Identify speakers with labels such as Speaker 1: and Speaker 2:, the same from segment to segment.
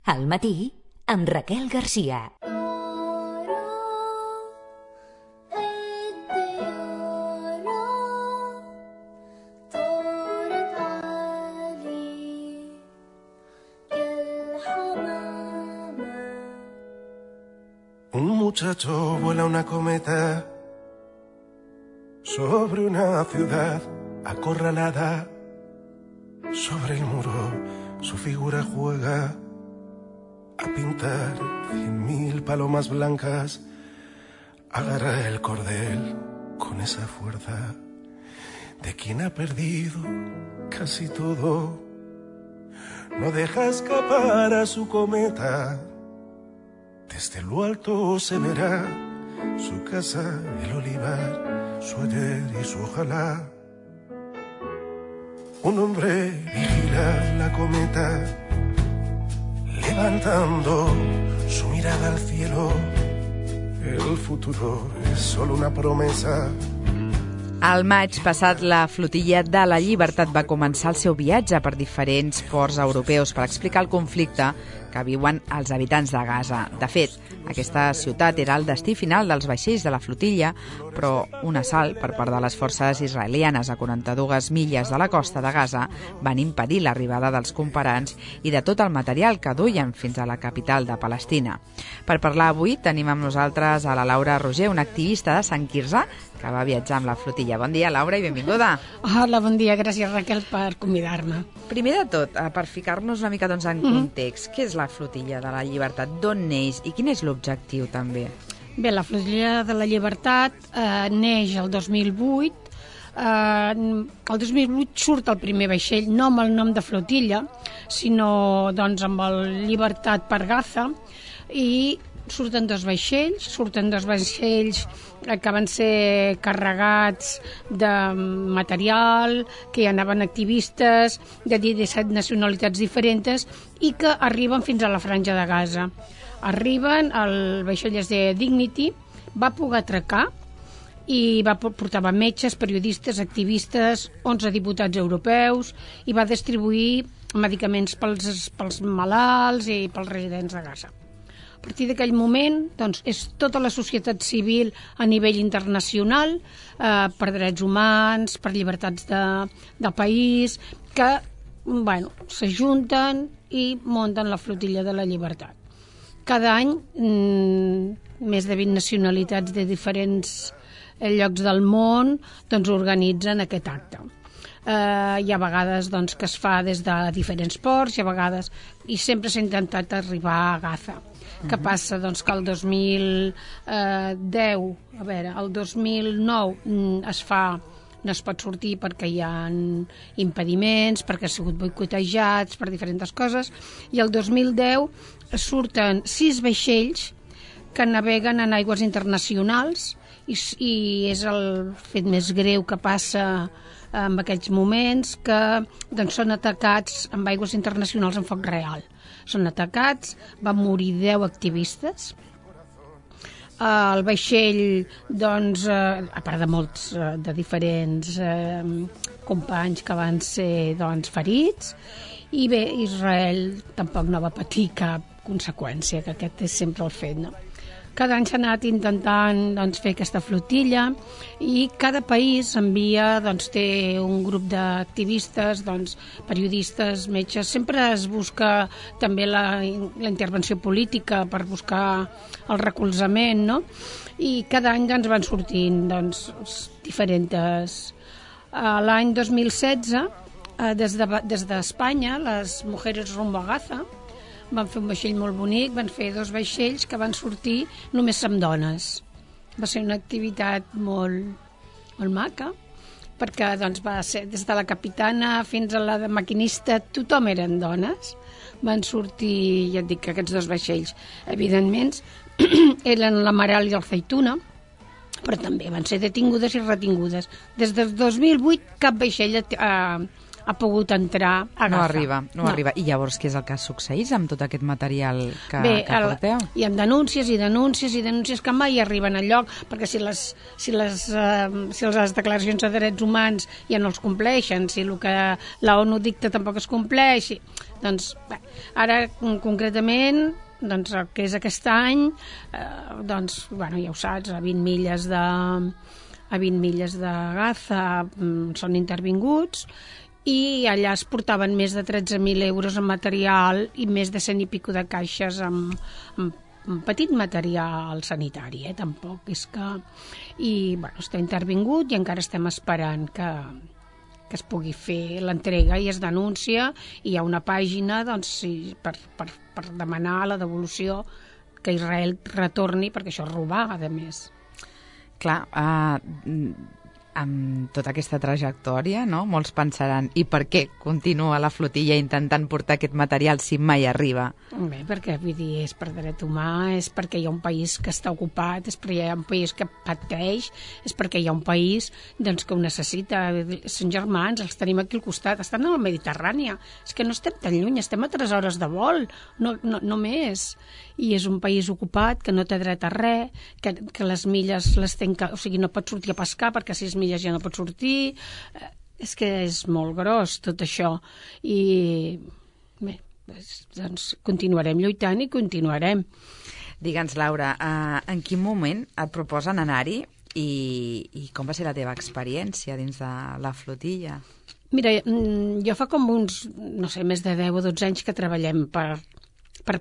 Speaker 1: Al matí, amb Raquel Garcia.
Speaker 2: Un muchacho vuela una cometa sobre una ciudad acorralada. Sobre el muro su figura juega a pintar 100.000 palomas blancas. Agarra el cordel con esa fuerza de quien ha perdido casi todo. No deja escapar a su cometa. Desde lo alto se verá su casa, el olivar, su ayer y su ojalá. Un hombre vigila la cometa, levantando su mirada al cielo. El futuro es solo una promesa.
Speaker 3: Al maig passat, la flotilla de la Llibertat va començar el seu viatge per diferents ports europeus per explicar el conflicte que viuen els habitants de Gaza. De fet, aquesta ciutat era el destí final dels vaixells de la flotilla, però un assalt per part de les forces israelianes a 42 milles de la costa de Gaza van impedir l'arribada dels cooperants i de tot el material que duien fins a la capital de Palestina. Per parlar avui tenim amb nosaltres a la Laura Roger, una activista de Sant Quirze que va viatjar amb la flotilla. Bon dia, Laura, i benvinguda.
Speaker 4: Hola, bon dia. Gràcies, Raquel, per convidar-me.
Speaker 3: Primer de tot, per ficar-nos una mica en context, què és la flotilla de la Llibertat? D'on neix i quin és l'objectiu, també?
Speaker 4: Bé, la flotilla de la Llibertat neix el 2008. El 2008 surt el primer vaixell, no amb el nom de flotilla, sinó doncs, amb el Llibertat per Gaza, i surten dos vaixells que van ser carregats de material, que hi anaven activistes de 17 nacionalitats diferents i que arriben fins a la franja de Gaza. Arriben, el vaixell és de Dignity, va poder atracar i portava metges, periodistes, activistes, 11 diputats europeus i va distribuir medicaments pels malalts i pels residents de Gaza. A partir d'aquell moment, doncs, és tota la societat civil a nivell internacional, per drets humans, per llibertats del país, que s'ajunten i munten la flotilla de la Llibertat. Cada any, més de 20 nacionalitats de diferents llocs del món doncs, organitzen aquest acte. Hi ha vegades doncs, que es fa des de diferents ports, i sempre s'ha intentat arribar a Gaza. Què passa? Doncs que el 2009 no es pot sortir perquè hi ha impediments, perquè ha sigut boicotejats per diferents coses, i el 2010 surten 6 vaixells que naveguen en aigües internacionals i és el fet més greu que passa en aquells moments, que doncs, són atacats amb aigües internacionals en foc real. Són atacats, van morir 10 activistes. El vaixell, doncs, a part de molts de diferents companys que van ser doncs, ferits, i bé, Israel tampoc no va patir cap conseqüència, que aquest és sempre el fet, no? Cada any s'ha anat intentant doncs, fer aquesta flotilla i cada país envia, doncs, té un grup d'activistes, doncs, periodistes, metges. Sempre es busca també la intervenció política per buscar el recolzament, no? I cada any doncs, van sortint doncs, diferents. L'any 2016, des d'Espanya, les Mujeres Rumbo a Gaza van fer un vaixell molt bonic, van fer 2 vaixells que van sortir només amb dones. Va ser una activitat molt maca, perquè doncs, va ser des de la capitana fins a la maquinista, tothom eren dones. Van sortir, ja et dic, aquests 2 vaixells. Evidentment, eren l'Amaral i el Zeituna, però també van ser detingudes i retingudes. Des del 2008 cap vaixell ha pogut entrar a Gaza.
Speaker 3: No arriba. I llavors què és el que succeeix amb tot aquest material que porteu?
Speaker 4: Hi ha denúncies i denúncies i denúncies que mai arriben al lloc, perquè si les declaracions de drets humans ja no els compleixen, si el que la ONU dicta tampoc es compleix, doncs bé, ara concretament doncs el que és aquest any doncs, bueno, ja ho saps, a 20 milles de Gaza són intervinguts i allà es portaven més de 13.000 euros en material i més de 100 i pico de caixes amb petit material sanitari, tampoc és que... I bueno, està intervingut i encara estem esperant que es pugui fer l'entrega i es denuncia i hi ha una pàgina doncs, per demanar la devolució que Israel retorni, perquè això és robar, a més.
Speaker 3: Clar, amb tota aquesta trajectòria, no? Molts pensaran, i per què continua la flotilla intentant portar aquest material si mai arriba?
Speaker 4: Bé, perquè vull dir, és per dret humà, és perquè hi ha un país que està ocupat, és perquè hi ha un país que pateix, és perquè hi ha un país doncs, que ho necessita. Són germans, els tenim aquí al costat, estan a la Mediterrània, és que no estem tan lluny, estem a 3 hores de vol, no més. I és un país ocupat, que no té dret a res, que les milles les tanca, o sigui, no pot sortir a pescar perquè a 6 milles ja no pot sortir. És que és molt gros tot això. I bé, doncs continuarem lluitant i continuarem.
Speaker 3: Digue'ns, Laura, en quin moment et proposen anar-hi i com va ser la teva experiència dins de la flotilla?
Speaker 4: Mira, jo fa com uns, no sé, més de 10 o 12 anys que treballem per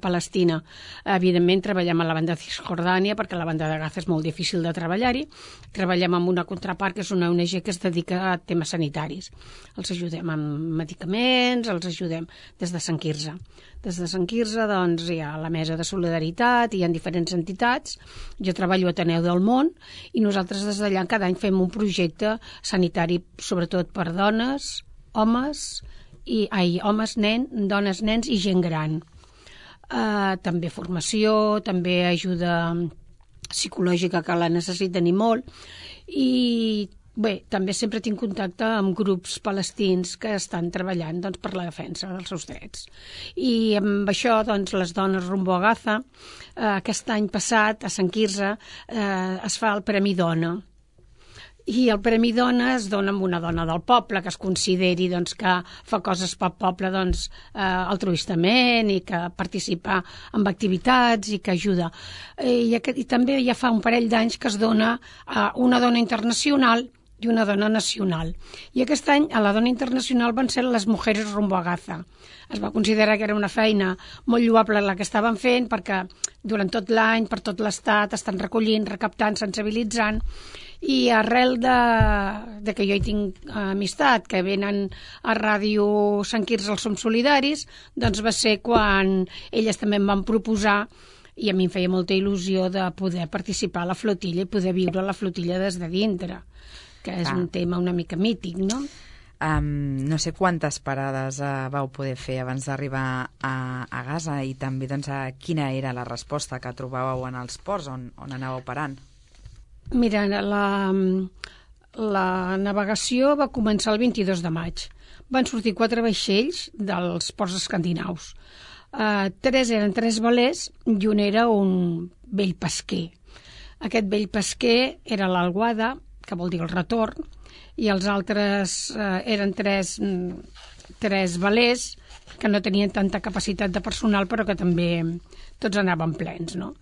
Speaker 4: Palestina. Evidentment treballem a la banda de Cisjordània perquè la banda de Gaza és molt difícil de treballar-hi. Treballem amb una contrapart que és una ONG que es dedica a temes sanitaris. Els ajudem amb medicaments, els ajudem des de Sant Quirze. Des de Sant Quirze doncs, hi ha la Mesa de Solidaritat, hi ha diferents entitats. Jo treballo a Ateneu del Món i nosaltres des d'allà cada any fem un projecte sanitari sobretot per dones, homes, dones, nens i gent gran. També formació, també ajuda psicològica que la necessiten i molt, i bé, també sempre tinc contacte amb grups palestins que estan treballant doncs, per la defensa dels seus drets. I amb això, doncs, les dones rumbo a Gaza, aquest any passat a Sant Quirze es fa el Premi Dona. I el Premi Dona es dona a una dona del poble que es consideri doncs, que fa coses pel poble doncs, altruistament i que participa en activitats i que ajuda. I també ja fa un parell d'anys que es dona a una dona internacional i una dona nacional. I aquest any a la dona internacional van ser les Mujeres rumbo a Gaza. Es va considerar que era una feina molt lloable la que estaven fent perquè durant tot l'any, per tot l'estat, estan recollint, recaptant, sensibilitzant. I arrel de que jo hi tinc amistat, que venen a Ràdio Sant Quirze els Som Solidaris, doncs va ser quan elles també em van proposar, i a mi em feia molta il·lusió de poder participar a la flotilla i poder viure la flotilla des de dintre, que és un tema una mica mític, no?
Speaker 3: No sé quantes parades vau poder fer abans d'arribar a Gaza i també doncs, quina era la resposta que trobàveu en els ports on anàveu parant?
Speaker 4: Mira, la navegació va començar el 22 de maig. Van sortir 4 vaixells dels ports escandinaus. 3 eren 3 velers i un era un vell pesquer. Aquest vell pesquer era l'Alguada, que vol dir el retorn, i els altres eren 3 velers que no tenien tanta capacitat de personal però que també tots anaven plens, no?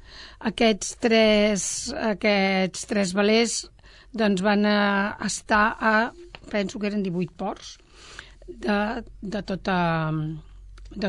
Speaker 4: Aquests tres velers doncs van estar penso que eren 18 ports de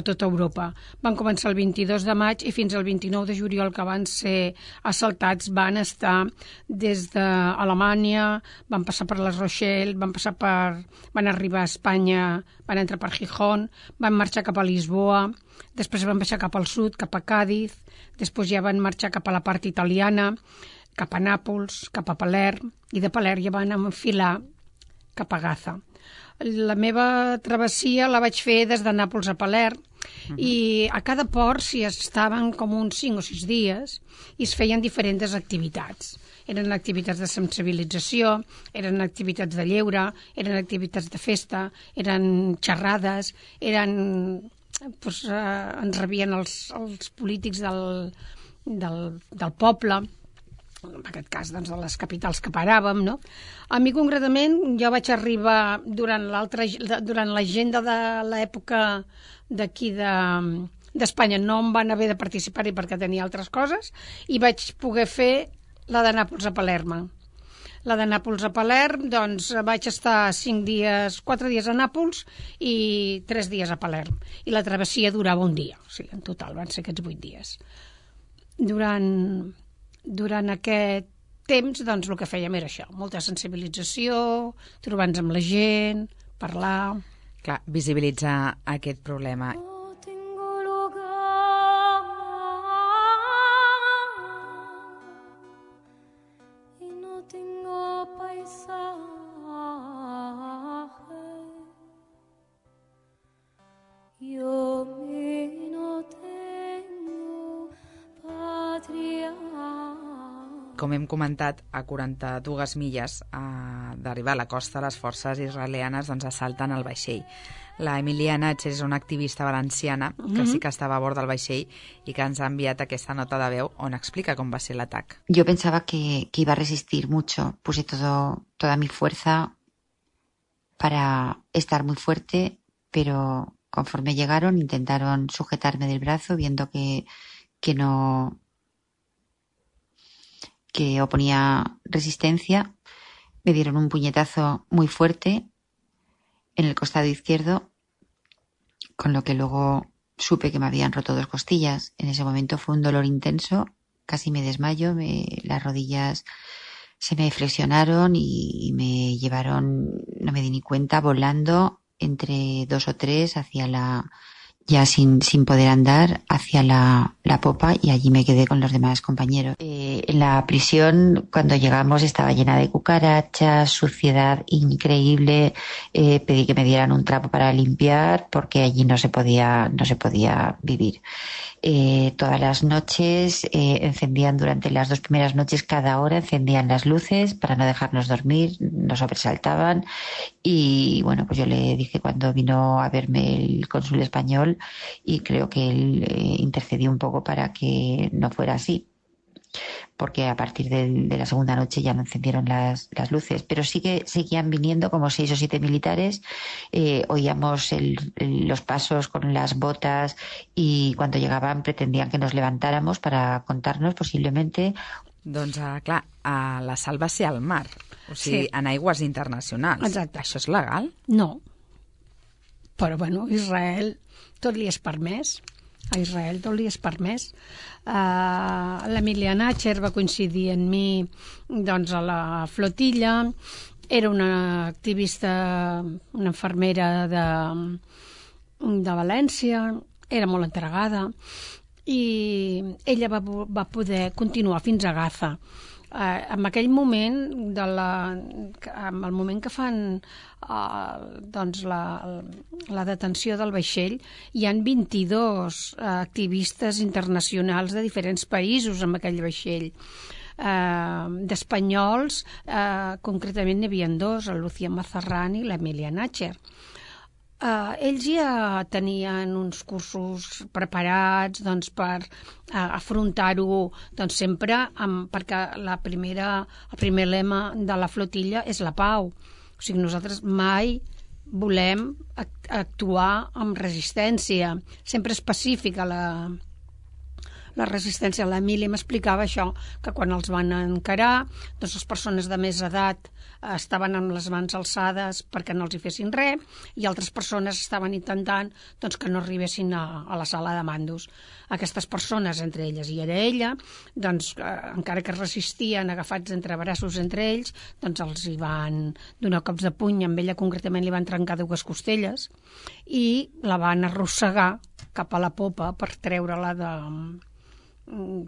Speaker 4: tota Europa. Van començar el 22 de maig i fins al 29 de juliol, que van ser assaltats, van estar des d'Alemanya, van passar per La Rochelle, van arribar a Espanya, van entrar per Gijón, van marxar cap a Lisboa, després van baixar cap al sud, cap a Càdiz, després ja van marxar cap a la part italiana, cap a Nàpols, cap a Palerm, i de Palerm ja van enfilar cap a Gaza. La meva travessia la vaig fer des de Nàpols a Palerm, I a cada port s'hi estaven com uns 5 o 6 dies i es feien diferents activitats. Eren activitats de sensibilització, eren activitats de lleure, eren activitats de festa, eren xerrades, ens rebien els polítics del poble, en aquest cas doncs, de les capitals que paràvem, no? A mi concretament jo vaig arribar durant l'agenda de l'època d'aquí d'Espanya, no em van haver de participar-hi perquè tenia altres coses, i vaig poder fer la de Nàpols a Palerme. La de Nàpols a Palerm, doncs vaig estar 4 dies a Nàpols i 3 dies a Palerm. I la travessia durava un dia, o sigui, en total van ser aquests 8 dies. Durant aquest temps, doncs, el que fèiem era això, molta sensibilització, trobar-nos amb la gent, parlar...
Speaker 3: Clar, visibilitzar aquest problema. Com hem comentat, a 42 milles d'arribar a la costa, les forces israelianes doncs, assalten el vaixell. La Emilia Natcher és una activista valenciana que sí que estava a bord del vaixell i que ens ha enviat aquesta nota de veu on explica com va ser l'atac.
Speaker 5: Yo pensaba que iba a resistir mucho. Puse toda mi fuerza para estar muy fuerte, pero conforme llegaron intentaron sujetarme del brazo viendo que oponía resistencia. Me dieron un puñetazo muy fuerte en el costado izquierdo, con lo que luego supe que me habían roto 2 costillas. En ese momento fue un dolor intenso, casi me desmayo, las rodillas se me flexionaron y me llevaron, no me di ni cuenta, volando entre 2 o 3 hacia ya sin poder andar, hacia la popa, y allí me quedé con los demás compañeros. En la prisión, cuando llegamos, estaba llena de cucarachas, suciedad increíble. Pedí que me dieran un trapo para limpiar porque allí no se podía vivir. Todas las noches encendían, durante las 2 primeras noches, cada hora encendían las luces para no dejarnos dormir, nos sobresaltaban. Y bueno, pues yo le dije cuando vino a verme el cónsul español, y creo que él intercedió un poco para que no fuera así, porque a partir de la segunda noche ya no encendieron las luces, pero sí que seguían viniendo como 6 o 7 militares. Oíamos los pasos con las botas, y cuando llegaban pretendían que nos levantáramos para contarnos posiblemente.
Speaker 3: Doncs, clar, la sal va ser al mar, o sigui,
Speaker 4: Sí.
Speaker 3: en aigües internacionals.
Speaker 4: Exacte.
Speaker 3: Això és legal?
Speaker 4: No. Però, bueno, Israel tot li és permès. A Israel tot li és permès. L'Emilia Natcher va coincidir amb mi doncs, a la flotilla. Era una activista, una infermera de València. Era molt entregada. I ella va poder continuar fins a Gaza. En aquell moment, en el moment que fan doncs la detenció del vaixell, hi han 22 activistes internacionals de diferents països en aquell vaixell. D'espanyols, concretament n'hi havia 2, el Lucía Mazarrán i l'Emilia Natcher. Ells ja tenien uns cursos preparats doncs, per afrontar-ho doncs, sempre perquè el primer lema de la flotilla és la pau. O sigui, nosaltres mai volem actuar amb resistència, sempre és pacífica la resistència. L'Emília m'explicava això, que quan els van encarar, doncs les persones de més edat estaven amb les mans alçades perquè no els hi fessin res, i altres persones estaven intentant doncs, que no arribessin a la sala de mandos. Aquestes persones, entre elles i era ella, doncs, encara que resistien agafats entre braços entre ells, doncs els hi van donar cops de puny. Amb ella concretament li van trencar 2 costelles i la van arrossegar cap a la popa per treure-la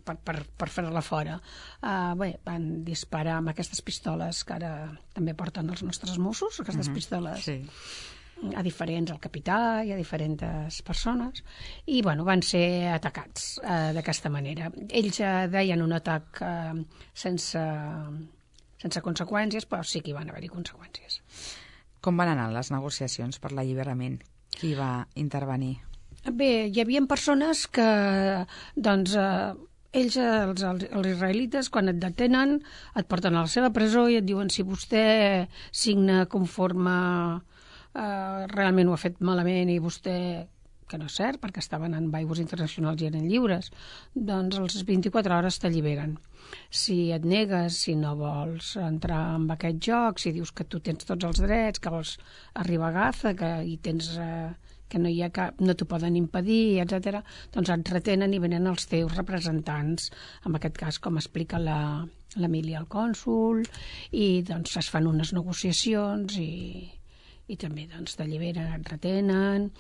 Speaker 4: per fer-la fora. Van disparar amb aquestes pistoles que ara també porten els nostres Mossos, aquestes pistoles.
Speaker 3: Sí.
Speaker 4: a diferents, al capità i a diferents persones, i van ser atacats d'aquesta manera. Ells deien un atac sense conseqüències, però sí que hi van haver-hi conseqüències.
Speaker 3: Com van anar les negociacions per l'alliberament? Qui va intervenir?
Speaker 4: Bé, hi havia persones que, ells, els israelites, quan et detenen, et porten a la seva presó i et diuen si vostè signa conforme realment ho ha fet malament i vostè, que no és cert, perquè estaven en aigües internacionals i eren lliures, doncs als 24 hores t'alliberen. Si et negues, si no vols entrar en aquest joc, si dius que tu tens tots els drets, que vols arribar a Gaza, que hi tens... que no hi ha cap, no t'ho poden impedir, etc. Doncs et retenen i venen els teus representants, en aquest cas, com explica l'Emília, el cònsol, i doncs es fan unes negociacions i també doncs t'alliberen, et retenen.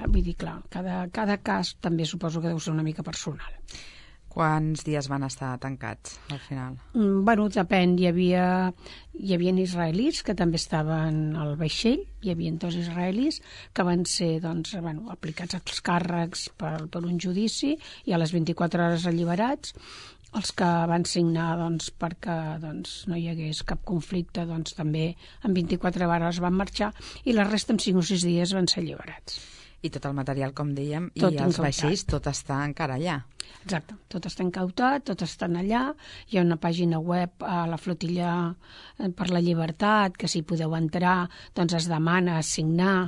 Speaker 4: Vull dir, clar, cada cas també suposo que deu ser una mica personal.
Speaker 3: Quants dies van estar tancats, al final?
Speaker 4: Depèn. Hi havia israelis que també estaven al vaixell, hi havia 2 israelis que van ser aplicats als càrrecs per un judici i a les 24 hores alliberats. Els que van signar perquè no hi hagués cap conflicte també en 24 hores van marxar i la resta en 5 o 6 dies van ser alliberats.
Speaker 3: I tot el material, com dèiem,
Speaker 4: tot
Speaker 3: i els vaixells, tot està encara allà.
Speaker 4: Exacte, tot està incautat, tot estan allà. Hi ha una pàgina web a la Flotilla per la Llibertat, que si podeu entrar, es demana signar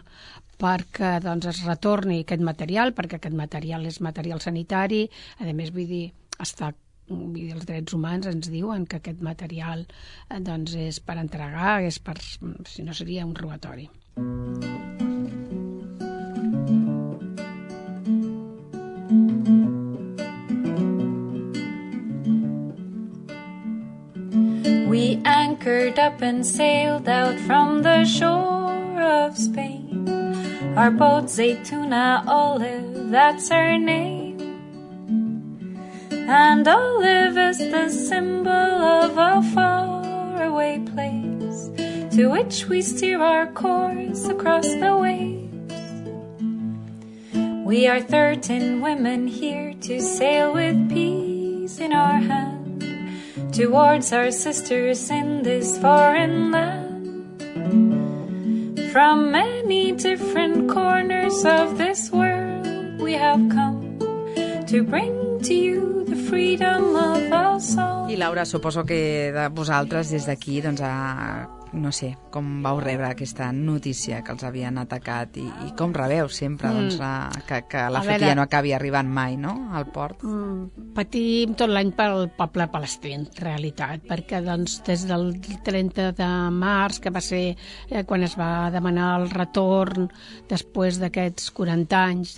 Speaker 4: perquè es retorni aquest material, perquè aquest material és material sanitari. A més, els drets humans ens diuen que aquest material és per entregar, si no seria un robatori.
Speaker 6: We anchored up and sailed out from the shore of Spain. Our boat Zaytuna Olive, that's her name. And Olive is the symbol of a faraway place to which we steer our course across the waves. We are 13 women here to sail with peace in our hand towards our sisters in this foreign land. From many different corners of this world we have come to bring to you the freedom of our soul.
Speaker 3: I Laura, suposo que de vosaltres des d'aquí, no sé, com vau rebre aquesta notícia que els havien atacat i com rebeu sempre que la flotilla no acabi arribant mai, no?, al port?
Speaker 4: Patim tot l'any pel poble palestí, en realitat, perquè des del 30 de març, que va ser quan es va demanar el retorn, després d'aquests 40 anys,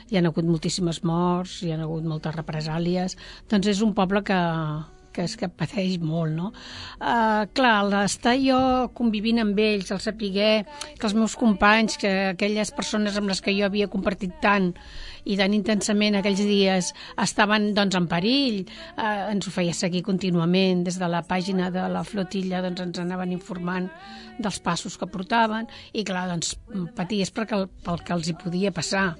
Speaker 4: hi ha hagut moltíssimes morts, hi ha hagut moltes represàlies, és un poble que pateix molt, no? Clar, l'estar jo convivint amb ells, el saber que els meus companys, que aquelles persones amb les que jo havia compartit tant i tan intensament aquells dies estaven en perill, ens ho feia seguir contínuament. Des de la pàgina de la flotilla ens anaven informant dels passos que portaven i clar, paties pel que els hi podia passar.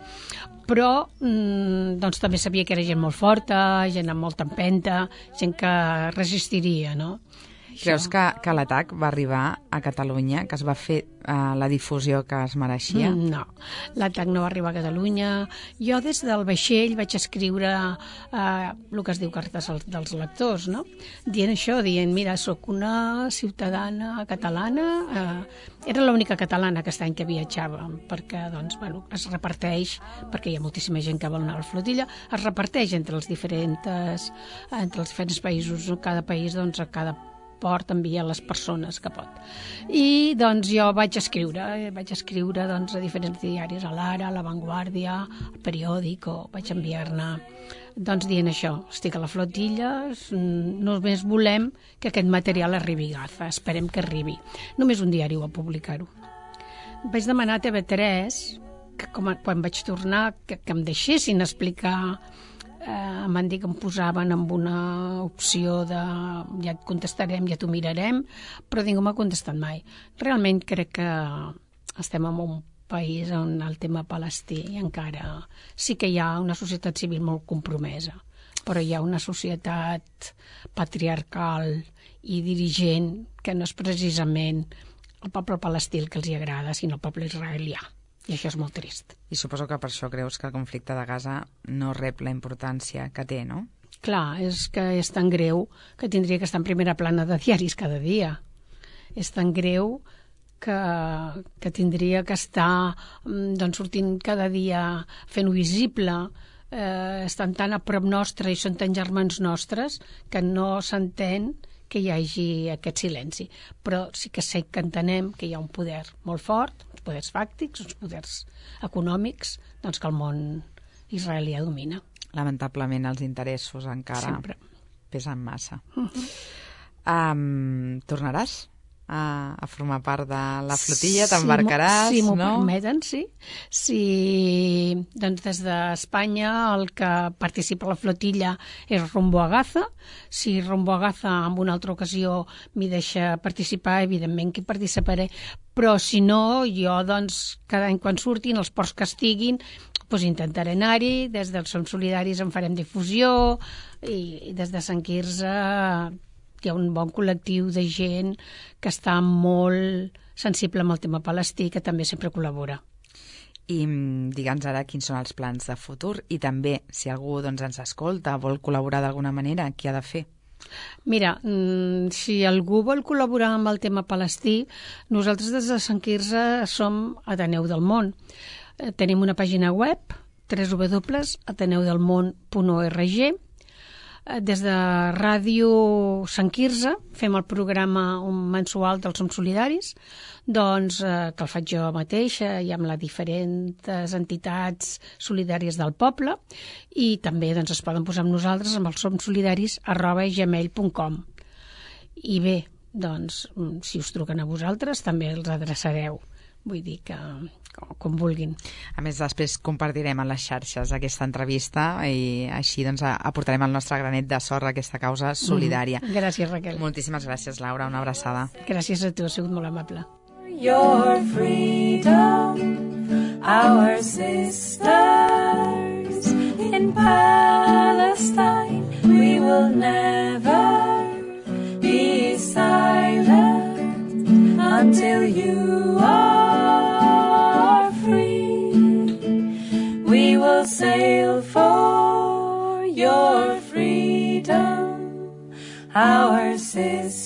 Speaker 4: Però també sabia que era gent molt forta, gent amb molta empenta, gent que resistiria, no?
Speaker 3: Creus que l'atac va arribar a Catalunya, que es va fer la difusió que es mereixia?
Speaker 4: No, l'atac no va arribar a Catalunya. Jo des del vaixell vaig escriure el que es diu cartes dels lectors, no? Dient, mira, sóc una ciutadana catalana, era l'única catalana aquest any que viatjava, perquè es reparteix, perquè hi ha moltíssima gent que vol anar a la flotilla, es reparteix entre els diferents països, cada país, a cada port envia les persones que pot. I jo vaig escriure a diferents diaris, a l'Ara, a La Vanguardia, al Periódico, vaig enviar-ne dient això, estic a la flotilla, només volem que aquest material arribi a Gaza, esperem que arribi. Només un diari ho va publicar-ho. Vaig demanar a TV3 que quan vaig tornar que em deixessin explicar. Em van dir que em posaven amb una opció de ja et contestarem, ja t'ho mirarem, però ningú m'ha contestat mai. Realment crec que estem en un país on el tema palestí encara sí que hi ha una societat civil molt compromesa, però hi ha una societat patriarcal i dirigent que no és precisament el poble palestí el que els hi agrada, sinó el poble israelià. I això és molt trist.
Speaker 3: I suposo que per això creus que el conflicte de Gaza no rep la importància que té, no?
Speaker 4: Clar, és que és tan greu que tindria que estar en primera plana de diaris cada dia. És tan greu que tindria que estar sortint cada dia fent-ho visible, estan tan a prop nostre i són tan germans nostres que no s'entén que hi hagi aquest silenci. Però sí que sé que entenem que hi ha un poder molt fort, uns poders fàctics, uns poders econòmics, doncs que el món israelià domina.
Speaker 3: Lamentablement els interessos encara
Speaker 4: Sempre.
Speaker 3: pesen massa. Tornaràs a formar part de la flotilla? T'embarcaràs?
Speaker 4: Si m'ho
Speaker 3: no?
Speaker 4: permeten, sí. Doncs des d'Espanya el que participa a la flotilla és Rumbo a Gaza. Si Rumbo a Gaza en una altra ocasió m'hi deixa participar, evidentment que hi participaré, però si no, jo doncs cada any quan surtin, els ports que estiguin, doncs intentaré anar-hi. Des dels Som Solidaris en farem difusió i des de Sant Quirze hi ha un bon col·lectiu de gent que està molt sensible amb el tema palestí, que també sempre col·labora.
Speaker 3: I digue'ns ara quins són els plans de futur i també, si algú doncs, ens escolta, vol col·laborar d'alguna manera, què ha de fer?
Speaker 4: Mira, si algú vol col·laborar amb el tema palestí, nosaltres des de Sant Quirze som Ateneu del Món. Tenim una pàgina web, www.ateneudelmon.org. Des de Ràdio Sant Quirze fem el programa mensual dels Som Solidaris, doncs, que el faig jo mateixa i amb les diferents entitats solidàries del poble, i també doncs, es poden posar amb nosaltres amb els somsolidaris@gmail.com. I bé, doncs, si us truquen a vosaltres també els adreçareu. Vull dir que com vulguin.
Speaker 3: A més, després compartirem en les xarxes aquesta entrevista i així doncs, aportarem el nostre granet de sorra a aquesta causa solidària.
Speaker 4: Gràcies, Raquel.
Speaker 3: Moltíssimes gràcies, Laura. Una abraçada.
Speaker 4: Gràcies a tu, has sigut molt amable.
Speaker 6: Your freedom, our sisters in Palestine, we will never be silent until you are free. We will sail for your freedom, our sisters